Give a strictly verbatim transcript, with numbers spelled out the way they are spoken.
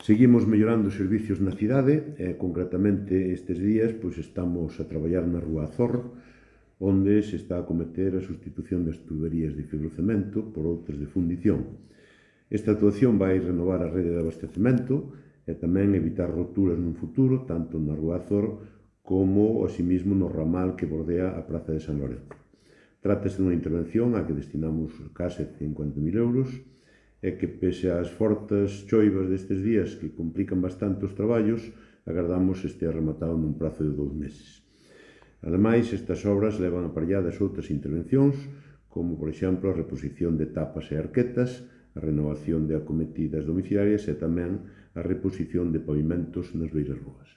Seguimos mellorando os servicios na cidade e, concretamente, estes días pois, estamos a traballar na Rúa Azor, onde se está a cometer a sustitución das tuberías de fibrocemento por outras de fundición. Esta actuación vai renovar a rede de abastecemento e tamén evitar roturas nun futuro, tanto na Rúa Azor como, asimismo, no ramal que bordea a Praza de San Lorenzo. Trátase dunha intervención a que destinamos case cincuenta mil euros e que, pese ás fortes choivas destes días que complican bastante os traballos, agardamos estea rematado nun prazo de dous meses. Ademais, estas obras levan aparelladas outras intervencións, como, por exemplo, a reposición de tapas e arquetas, a renovación de acometidas domiciliarias e tamén a reposición de pavimentos nas beiras rúas.